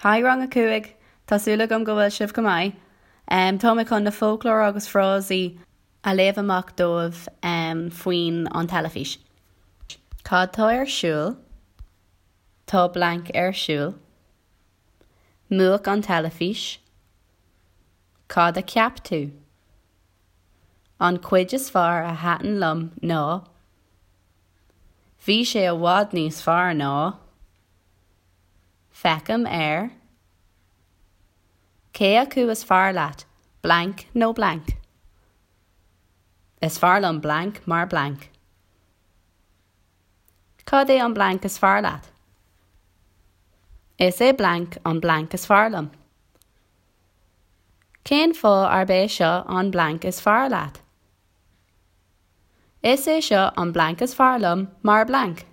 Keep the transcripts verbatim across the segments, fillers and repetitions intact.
Hi rang a cúig Tá súil agam go bhfuil sibh go maith. Um, Tá mé chun na foclóir agus frásaí a léamh amach daoibh um, faoin an teilifís. Cad tá ar siúl, Tá blank ar siúl, Múch an teilifís, Cad a cheap tú? An chuid is fearr a thaitin liom ná, Bhí sé i bhfad níos fearr ná, Feicim ar, Cé acu is fearr leat, blank nó blank. Is fearr liom blank mar blank. Cad é an blank is fearr leat? Is é blank an blank is fearr liom. Cén fáth arb é seo an blank is fearr leat? Is é seo an blank is fearr liom mar blank.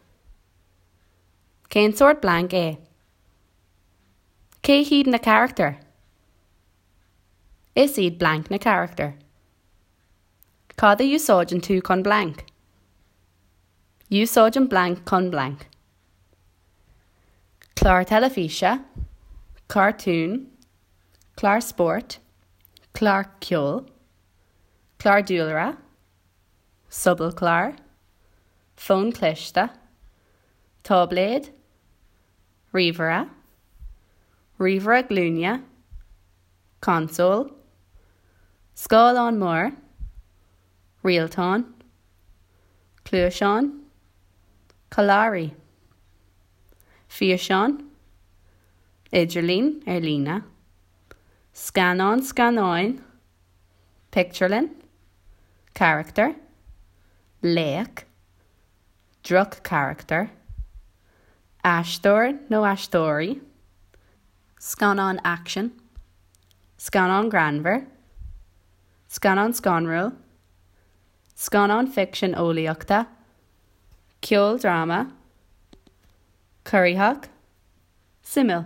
Cén sórt blank é? Cé hiad na carachtair? Is iad blank na carachtair. Cad a úsáideann tú chun blank? Úsáidim blank chun blank. Clár teilifíse, cartún, clár spóirt, clár ceoil, clár dúlra, sobalchlár, fón cliste, táibléad, ríomhaire, ríomhaire glúine, consól, scáileán mór, rialtán, cluaisán, callairí, físeán, idirlíon ar líne, scannán scannáin, pictiúrlann, carachtar, laoch, droch-charachtar, aisteoir nó aisteoirí, scannán aicsin, scannán greannmhar, scannán scanrúil, scannán ficsean eolaíochta, ceoldráma, corraitheach, suimiúil.